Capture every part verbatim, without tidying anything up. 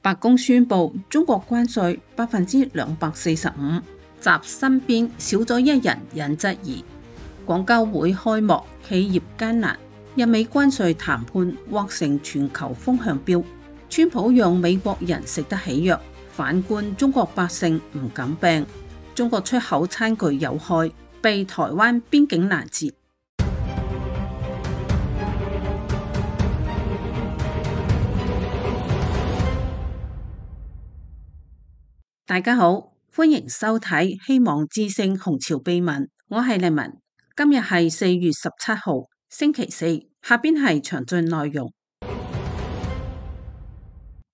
白宮宣布中國關稅百分之兩百四十五，習身邊少咗一人引質疑。廣交會開幕，企業艱難。日美關稅談判或成全球風向標。川普讓美國人食得起藥，反觀中國百姓唔敢病。中國出口餐具有害，被台灣邊境攔截。大家好，歡迎收睇《希望之聲·紅潮秘聞》，我係麗文。今日係四月十七號，星期四。下邊係詳盡內容。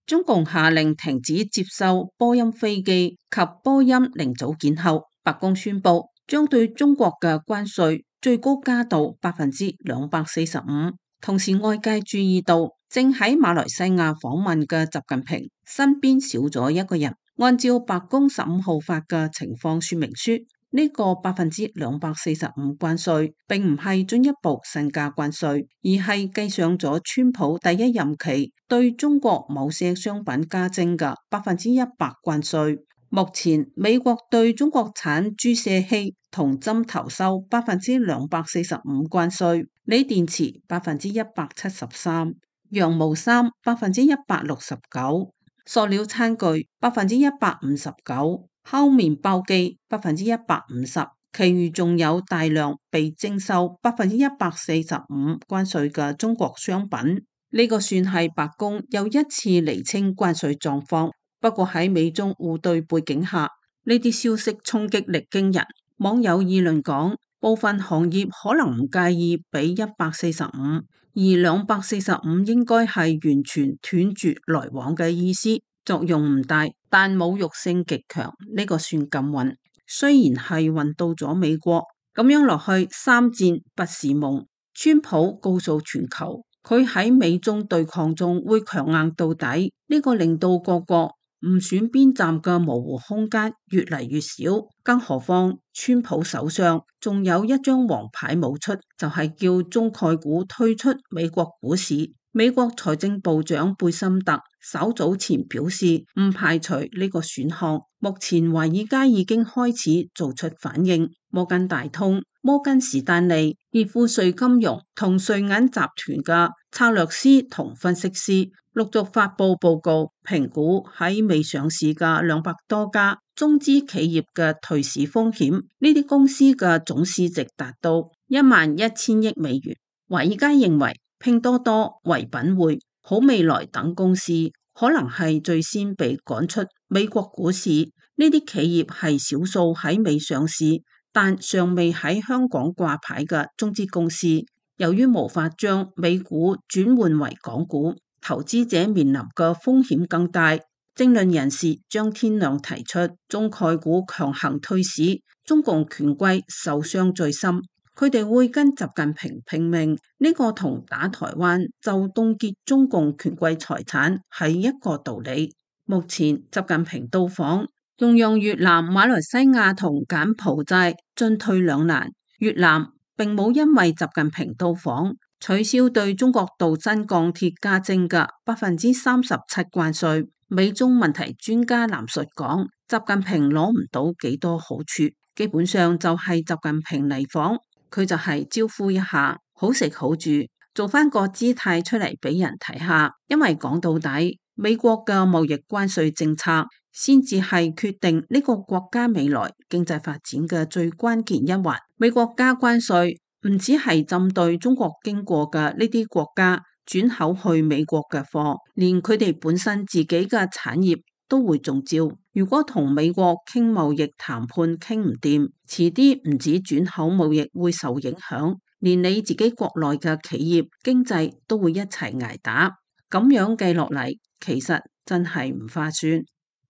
中共下令停止接收波音飛機及波音零組件後，白宮宣布將對中國嘅關稅最高加到百分之兩百四十五。同時，外界注意到正喺馬來西亞訪問嘅習近平身邊少咗一個人。按照白宮十五號發嘅情況說明書，呢、這個百分之兩百四十五關稅並唔係進一步新加關稅，而係計上咗川普第一任期對中國某些商品加徵嘅百分之一百關稅。目前美國對中國產注射器同針頭收百分之兩百四十五關稅，鋰電池百分之一百七十三，羊毛衫百分之一百六十九。塑料餐具百分之一百五十九，烤麵包機百分之一百五十，其餘仲有大量被徵收百分之一百四十五關稅嘅中國商品。呢、這個算係白宮又一次釐清關稅狀況。不過喺美中互對背景下，呢啲消息衝擊力驚人。網友議論講，部分行業可能唔介意俾一百四十五，而兩百四十五應該係完全斷絕來往嘅意思，作用唔大，但侮辱性極強。呢、這個算禁運，雖然係運到咗美國，咁樣落去三戰不是夢。川普告訴全球，佢喺美中對抗中會強硬到底，呢、這個令到各國唔選邊站嘅模糊空間越嚟越少，更何況川普手上仲有一張王牌冇出，就係、是、叫中概股退出美國股市。美國財政部長貝森特稍早前表示唔排除呢個選項，目前華爾街已經開始做出反應。摩根大通、摩根士丹利、傑富瑞金融同瑞銀集團嘅策略師同分析師陸續發佈報告，評估喺未上市嘅兩百多家中資企業嘅退市風險。呢啲公司嘅總市值達到一萬一千億美元。華爾街認為拼多多、唯品會、好未來等公司可能係最先被趕出美國股市。呢啲企業係少數喺未上市但尚未喺香港掛牌嘅中資公司。由於無法將美股轉換為港股，投資者面臨嘅風險更大。政論人士張天亮提出，中概股強行退市，中共權貴受傷最深。佢哋會跟習近平拼命，呢個同打台灣就凍結中共權貴財產係一個道理。目前習近平到訪，仲讓越南、馬來西亞同柬埔寨進退兩難。越南並冇因為習近平到訪取消對中國鍍鋅鋼鐵加徵嘅百分之三十七關稅。美中問題專家藍述講，習近平攞唔到幾多好處，基本上就係習近平嚟訪，佢就係招呼一下，好食好住，做翻個姿態出嚟俾人睇下。因為講到底，美國嘅貿易關稅政策先至係決定呢個國家未來經濟發展嘅最關鍵一環。美國加關稅唔只係針對中國經過嘅呢啲國家轉口去美國嘅貨，連佢哋本身自己嘅產業都會中招。如果同美國傾貿易談判傾唔掂，遲啲唔止轉口貿易會受影響，連你自己國內嘅企業經濟都會一齊挨打。咁樣計落嚟，其實真係唔划算。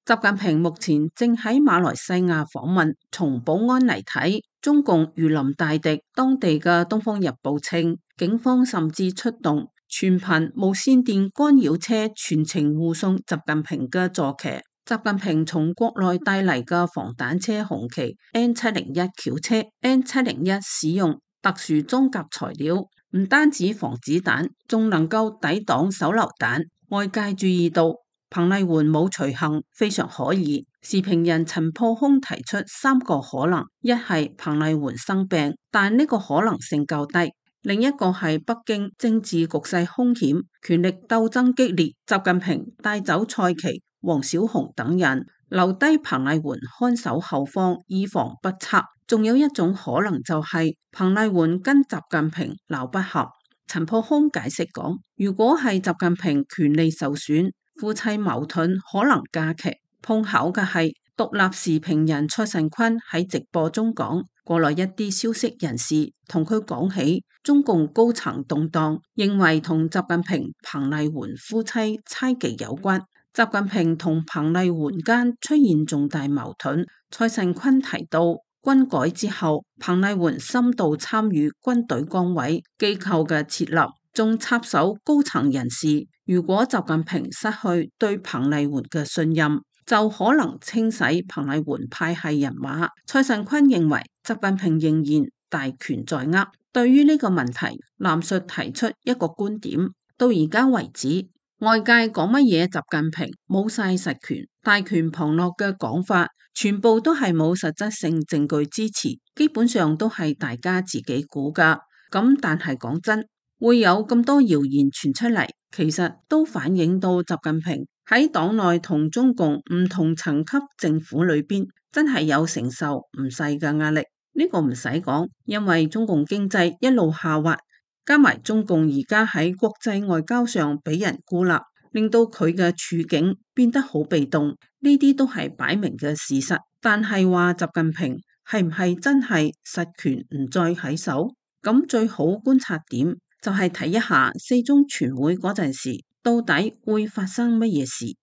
習近平目前正喺馬來西亞訪問，從保安嚟睇，中共如臨大敵。當地嘅《東方日報》稱，警方甚至出動全頻無線電干擾車全程護送習近平嘅坐騎。習近平從國內帶嚟嘅防彈車紅旗 N 七零一轎車 N 七零一使用特殊裝甲材料，唔單止防子彈，仲能夠抵擋手榴彈。外界注意到，彭麗媛冇隨行，非常可疑。時評人陳破空提出三個可能：一係彭麗媛生病，但呢個可能性較低；另一個係北京政治局勢兇險，權力鬥爭激烈，習近平帶走蔡奇、王小洪等人，留低彭麗媛看守後方，以防不測。仲有一種可能就係彭麗媛跟習近平鬧不合。陳破空解釋講，如果係習近平權力受損，夫妻矛盾可能加劇。碰巧嘅係獨立時評人蔡慎坤喺直播中講，國內一啲消息人士同佢講起中共高層動盪，認為同習近平、彭麗媛夫妻猜忌有關。習近平同彭麗媛間出現重大矛盾。蔡慎坤提到，軍改之後，彭麗媛深度參與軍隊崗位機構嘅設立，仲插手高層人事。如果習近平失去對彭麗媛嘅信任，就可能清洗彭麗媛派系人馬。蔡慎坤認為，習近平仍然大權在握。對於呢個問題，藍述提出一個觀點：到而家為止，外界講乜嘢習近平冇晒實權、大權旁落嘅講法，全部都係冇實質性證據支持，基本上都係大家自己估㗎。咁但係講真，會有咁多謠言傳出嚟，其實都反映到習近平喺黨內同中共唔同層級政府裏邊，真係有承受唔細嘅壓力。呢個唔使講，因為中共經濟一路下滑。加埋中共而家喺國際外交上俾人孤立，令到佢嘅處境變得好被動，呢啲都係擺明嘅事實。但係話習近平係唔係真係實權唔再喺手？咁最好觀察點就係睇一下四中全會嗰陣時，到底會發生乜嘢事？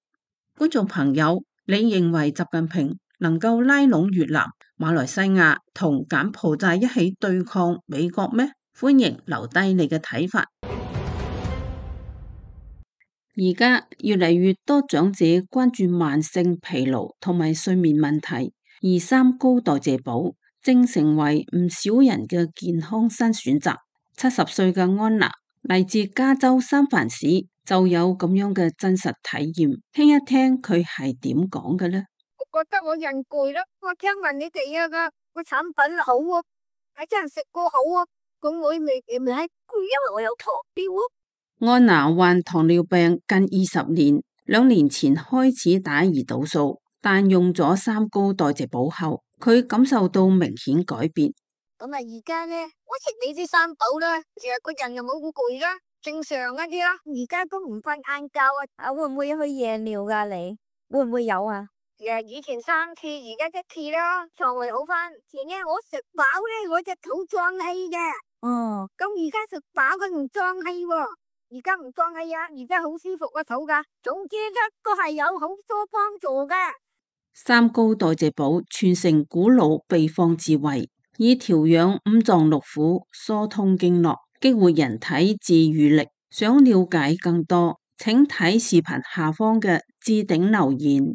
觀眾朋友，你認為習近平能夠拉攏越南、馬來西亞同柬埔寨一起對抗美國咩？歡迎留低你嘅睇法。而家越嚟越多長者關注慢性疲勞同埋睡眠問題，而三高代謝寶正成為唔少人嘅健康新選擇。七十歲嘅安娜嚟自加州三藩市，就有咁樣嘅真實體驗。聽一聽佢係點講嘅呢？我覺得我人攰咯，我聽聞你哋啊個個產品好啊，係真係食過好啊。咁我未未係攰，因為我有糖尿。安娜患糖尿病近二十年，兩年前開始打胰島素，但用咗三高代謝寶後，佢感受到明顯改變。咁啊，而家咧，我食你啲三寶啦，成日個人又冇好攰啦，正常一啲啦。而家都唔瞓晏覺啊，啊會唔會去夜尿噶？你會唔會有啊？誒，以前三次，而家一次啦，腸胃好翻。前日我食飽咧，我隻肚脹氣嘅。哦，咁而家食飽佢唔脹氣喎，而家唔脹氣啊，而家好舒服個肚噶。總之一個係有好多幫助嘅。三高代謝寶傳承古老秘方智慧，以調養五臟六腑、疏通經絡、激活人體自癒力。想了解更多，請睇視頻下方嘅置頂留言。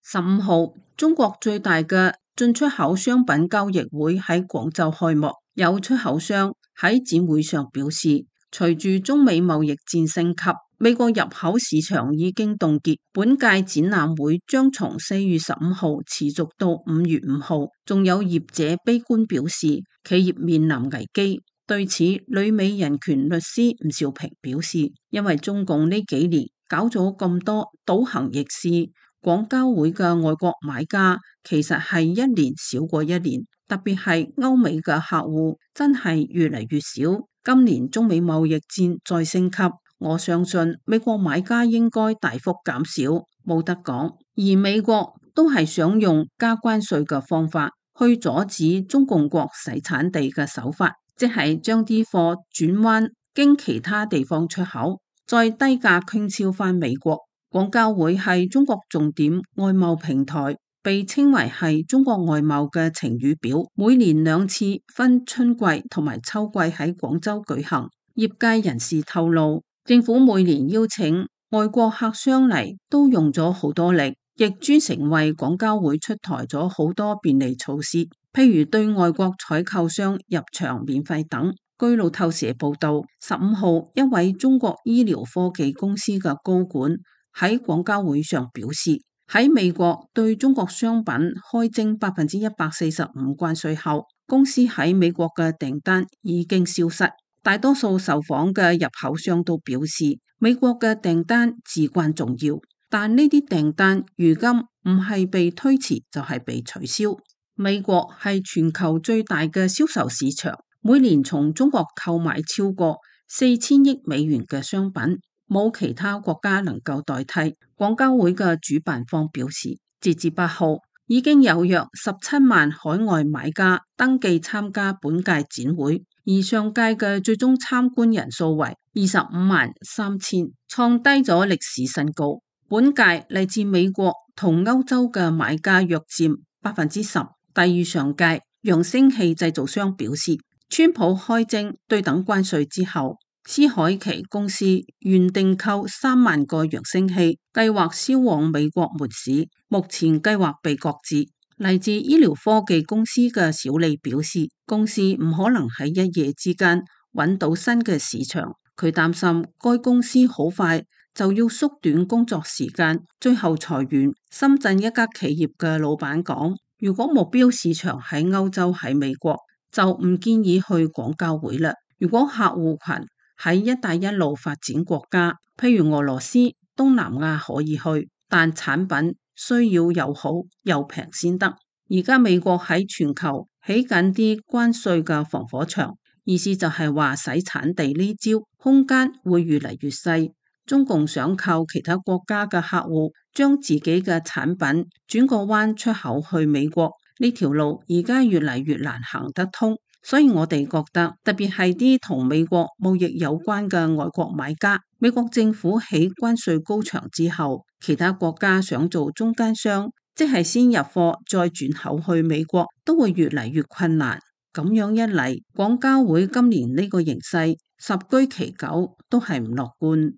十五號，中國最大嘅進出口商品交易會喺廣州開幕。有出口商喺展會上表示，隨住中美貿易戰升級，美國入口市場已經凍結。本屆展覽會將從四月十五號持續到五月五號。仲有業者悲觀表示，企業面臨危機。對此，旅美人權律師吳兆平表示，因為中共呢幾年搞咗咁多倒行逆施。廣交會嘅外國買家其實係一年少過一年，特別係歐美嘅客戶真係越嚟越少。今年中美貿易戰再升級，我相信美國買家應該大幅減少，冇得講。而美國都係想用加關稅嘅方法去阻止中共國洗產地嘅手法，即係將啲貨轉彎經其他地方出口，再低價傾銷返美國。廣交會係中國重點外貿平台，被稱為係中國外貿嘅晴雨表，每年兩次分春季同埋秋季喺廣州舉行。業界人士透露，政府每年邀請外國客商嚟都用咗好多力，亦專程為廣交會出台咗好多便利措施，譬如對外國採購商入場免費等。據路透社報道，十五號一位中國醫療科技公司嘅高管喺廣交會上表示，喺美國對中國商品開徵百分之一百四十五關稅後，公司喺美國嘅訂單已經消失。大多數受訪嘅入口商都表示，美國嘅訂單至關重要，但呢啲訂單如今唔係被推遲就係被取消。美國係全球最大嘅銷售市場，每年從中國購買超過四千億美元嘅商品，冇其他國家能夠代替。廣交會嘅主辦方表示，截至八號，已經有約十七萬海外買家登記參加本屆展會，而上屆嘅最終參觀人數為二十五萬三千，創低咗歷史新高。本屆嚟自美國同歐洲嘅買家約佔百分之十，低於上屆。揚聲器製造商表示，川普開徵對等關稅之後，斯凱奇公司原訂購三萬個揚聲器，計劃銷往美國門市，目前計劃被擱置。嚟自醫療科技公司嘅小李表示，公司唔可能喺一夜之間揾到新嘅市場，佢擔心該公司好快就要縮短工作時間，最後裁員。深圳一家企業嘅老闆講，如果目標市場喺歐洲喺美國，就唔建議去廣交會啦。如果客戶群喺一帶一路發展國家，譬如俄羅斯、東南亞可以去，但產品需要又好又平先得。而家美國喺全球起緊啲關稅嘅防火牆，意思就係話洗產地呢招空間會越嚟越細。中共想靠其他國家嘅客戶將自己嘅產品轉個彎出口去美國，呢條路而家越嚟越難行得通。所以我哋覺得，特別係啲同美國貿易有關嘅外國買家，美國政府起關稅高牆之後，其他國家想做中間商，即係先入貨再轉口去美國，都會越嚟越困難。咁樣一嚟，廣交會今年呢個形勢十居其九都係唔樂觀。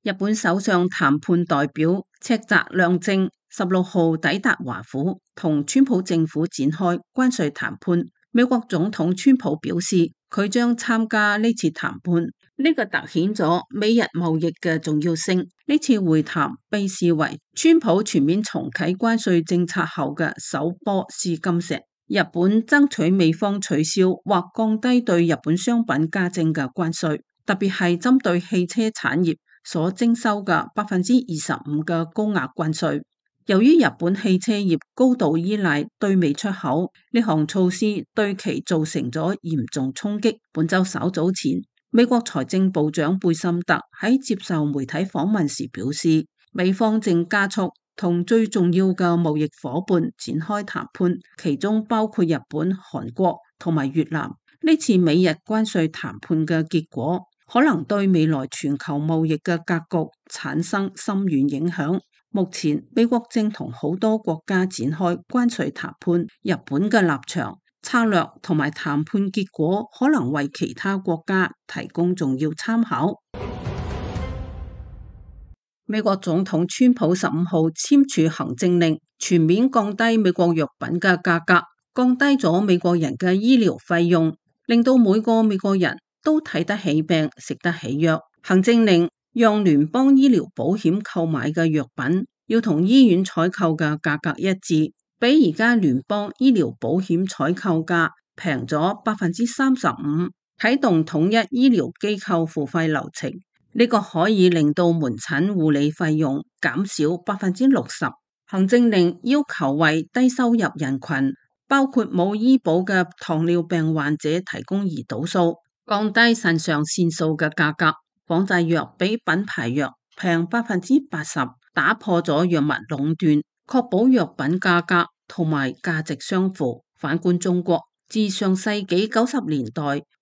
日本首相談判代表赤澤亮正十六號抵達華府，同川普政府展開關稅談判。美國總統川普表示，佢將參加呢次談判，呢個凸顯咗美日貿易嘅重要性。呢次會談被視為川普全面重啟關稅政策後嘅首波試金石。日本爭取美方取消或降低對日本商品加徵嘅關稅，特別係針對汽車產業所徵收嘅百分之二十五嘅高額關稅。由於日本汽車業高度依賴對美出口，呢項措施對其造成咗嚴重衝擊。本周稍早前，美國財政部長貝森特喺接受媒體訪問時表示，美方正加速同最重要嘅貿易夥伴展開談判，其中包括日本、韓國同埋越南。呢次美日關稅談判嘅結果，可能對未來全球貿易嘅格局產生深遠影響。目前美國正同好多國家展開關稅談判，日本嘅立場、策略同埋談判結果可能為其他國家提供重要參考。美國總統川普十五號簽署行政令，全面降低美國藥品嘅價格，降低咗美國人嘅醫療費用，令到每個美國人都睇得起病、食得起藥。行政令讓聯邦醫療保險購買嘅藥品要同醫院採購嘅價格一致，比而家聯邦醫療保險採購價平咗百分之三十五，啟動統一醫療機構付費流程。呢個可以令到門診護理費用減少百分之六十。行政令要求為低收入人群，包括冇醫保嘅糖尿病患者提供胰島素，降低腎上腺素嘅價格。仿製藥比品牌藥平百分之八十，打破咗藥物壟斷，確保藥品價格同埋價值相符。反觀中國，自上世紀九十年代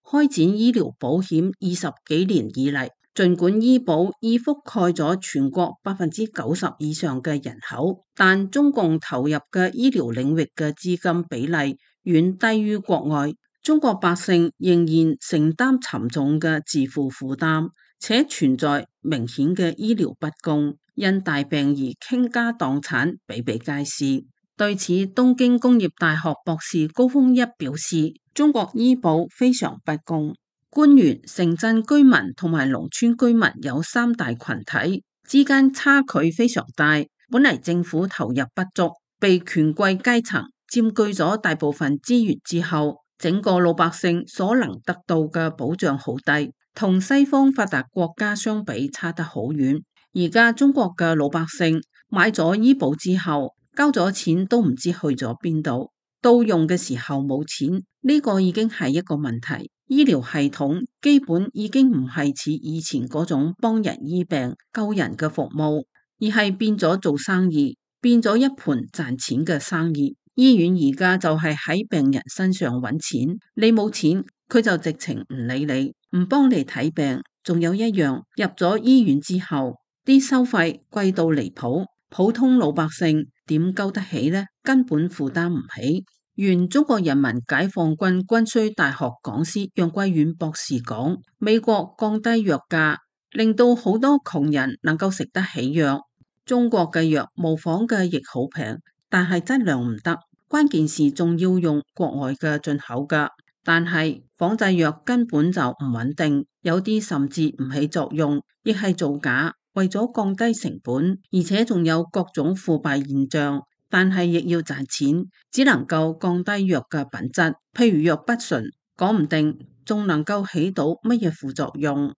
開展醫療保險二十幾年以嚟，儘管醫保已覆蓋咗全國百分之九十以上嘅人口，但中共投入嘅醫療領域嘅資金比例遠低於國外，中國百姓仍然承擔沉重嘅自負負擔，且存在明顯嘅醫療不公，因大病而傾家蕩產比比皆是。對此，東京工業大學博士高峰一表示，中國醫保非常不公，官員、城鎮居民同埋農村居民有三大群體之間差距非常大。本嚟政府投入不足，被權貴階層佔據咗大部分資源之後，整個老百姓所能得到嘅保障好低，同西方發達國家相比差得好遠。而家中國嘅老百姓買咗醫保之後，交咗錢都唔知去咗邊度，到用嘅時候冇錢，呢個已經係一個問題。醫療系統基本已經唔係似以前嗰種幫人醫病救人嘅服務，而係變咗做生意，變咗一盤賺錢嘅生意。醫院而家就係喺病人身上揾錢，你冇錢佢就直情唔理你，唔幫你睇病。仲有一樣，入咗醫院之後，啲收費貴到離譜，普通老百姓點交得起呢？根本負擔唔起。原中國人民解放軍軍需大學講師楊貴遠博士講，美國降低藥價，令到好多窮人能夠食得起藥。中國嘅藥模仿嘅亦好平，但係質量唔得，關鍵是仲要用國外嘅進口噶。但係仿製藥根本就唔穩定，有啲甚至唔起作用，亦係造假。為咗降低成本，而且仲有各種腐敗現象，但係亦要賺錢，只能夠降低藥嘅品質。譬如藥不純，講唔定仲能夠起到乜嘢副作用。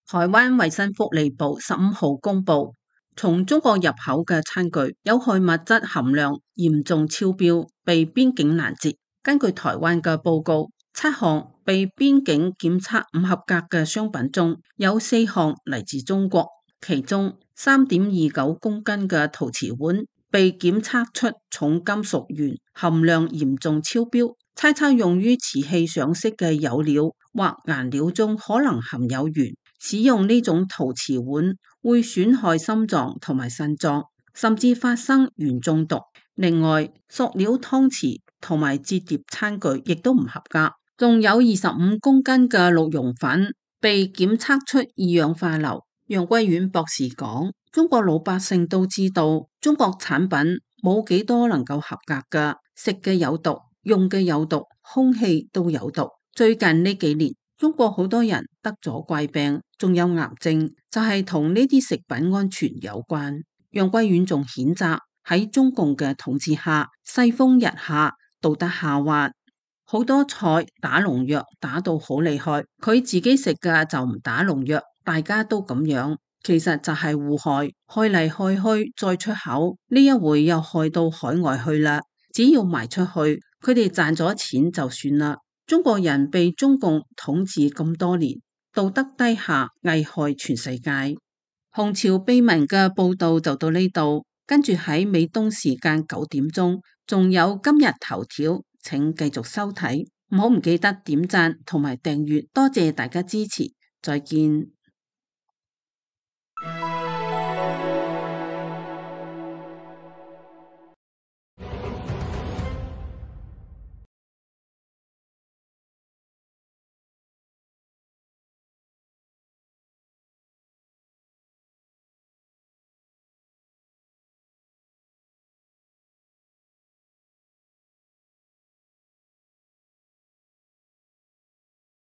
台灣衛生福利部十五號公布，從中國入口嘅餐具有害物質含量嚴重超標，被邊境攔截。根據台灣嘅報告，七項被邊境檢測唔合格嘅商品中，有四項嚟自中國，其中三點二九公斤嘅陶瓷碗被檢測出重金屬鉛含量嚴重超標，猜測用於瓷器上色嘅釉料或顏料中可能含有鉛。使用呢種陶瓷碗會損害心臟同埋腎臟，甚至發生鉛中毒。另外，塑料湯匙同埋摺疊餐具亦都唔合格，仲有二十五公斤嘅鹿茸粉被檢測出二氧化硫。楊貴遠博士講，中國老百姓都知道，中國產品冇幾多能夠合格㗎，食嘅有毒，用嘅有毒，空氣都有毒。最近呢幾年，中國好多人得咗怪病，仲有癌症，就係同呢啲食品安全有關。楊貴遠仲譴責喺中共嘅統治下，世風日下，道德下滑，好多菜打農藥打到好厲害，佢自己食嘅就唔打農藥，大家都咁樣，其實就係互害，害嚟害去再出口，呢一回又害到海外去啦。只要賣出去，佢哋賺咗錢就算啦。中國人被中共統治咁多年，道德低下，危害全世界。紅潮秘聞嘅報道就到呢度，跟住喺美東時間九點鐘，仲有今日頭條，請繼續收睇，唔好唔記得點讚同埋訂閱，多謝大家支持，再見。